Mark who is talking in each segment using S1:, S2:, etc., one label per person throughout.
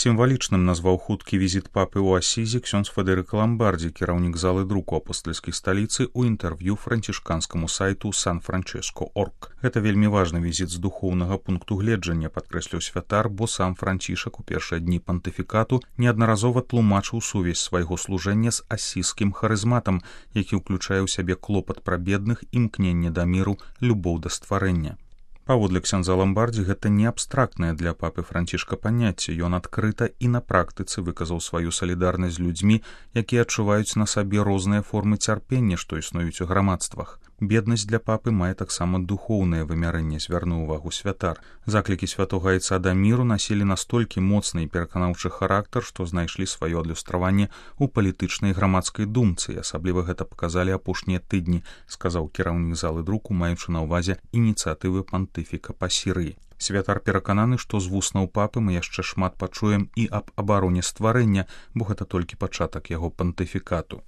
S1: Сімвалічным назваў хуткі візіт папы ў Асізі ксёндз Федэрыка Ламбардзі, кіраўнік залы друку апостальскай сталіцы, у інтэрв'ю францішканскаму сайту San-Francesco.org. Гэта вельмі важны візіт з духоўнага пункту гледжання, падкрэсліў святар, бо сам Францішак у першыя дні пантыфікату неаднаразова тлумачыў сувязь свайго служэння з асізскім харызматам, які ўключае ў сябе клопат пра бедных, імкненне да міру, любоў да стварэння. Паводле ксяндза Ламбардзі, гэта не абстрактнае для папы Францішка паняцце. Ён адкрыта і на практыцы выказаў сваю салідарнасць з людзьмі, якія адчуваюць на сабе розныя формы цярпення, што існуюць у грамадствах. Беднасць для папы мае таксама духоўнае вымярэнне, звярнуў увагу святар. Заклікі святога Айца да міру насілі настолькі моцны і пераканаўчы характар, што знайшлі сваё адлюстраванне ў палітычнай грамадскай думцы. Асабліва гэта паказалі апошнія тыдні, сказаў кіраўнік залы друку, маючы на ўвазе ініцыятывы пантыфіка па Сірыі. Святар перакананы, што з вуснаў папы мы яшчэ шмат пачуем і аб абароне стварэння, бо гэта толькі пачатак яго пантыфікату.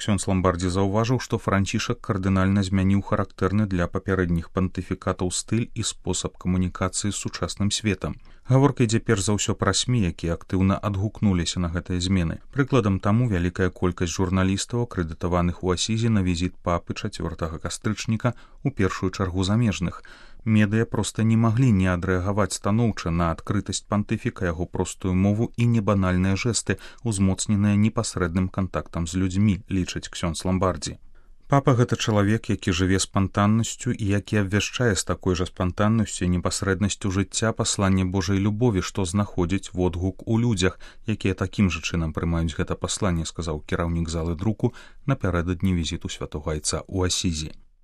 S1: Ксёндз Ламбардзі заўважыў, што Францішак кардынальна змяніў характэрны для папярэдніх пантыфікатаў стыль і спосаб камунікацыі з сучасным светам. Гаворка ідзе перш за ўсё пра СМІ, якія актыўна адгукнуліся на гэтыя змены. Прыкладам таму вялікая колькасць журналістаў, акрэдытаваных у Асізе на візіт папы 4 кастрычніка, у першую чаргу замежных. Медыя проста не маглі не адрэагаваць станоўча на адкрытасць пантыфіка, яго простую мову і небанальныя жэсты, узмоцненыя непасрэдным кантактам з людзьмі, лічыць ксёндз Ламбардзі. Папа — гэта чалавек, які жыве спантаннасцю і які абвяшчае з такой жа спантаннасцю і непасрэднасцю жыцця пасланне Божай любові, што знаходзіць водгук у людзях, якія такім жа чынам прымаюць гэта пасланне, сказаў кіраўнік залы друку напярэдадні візіту святога Айца ў Асізі.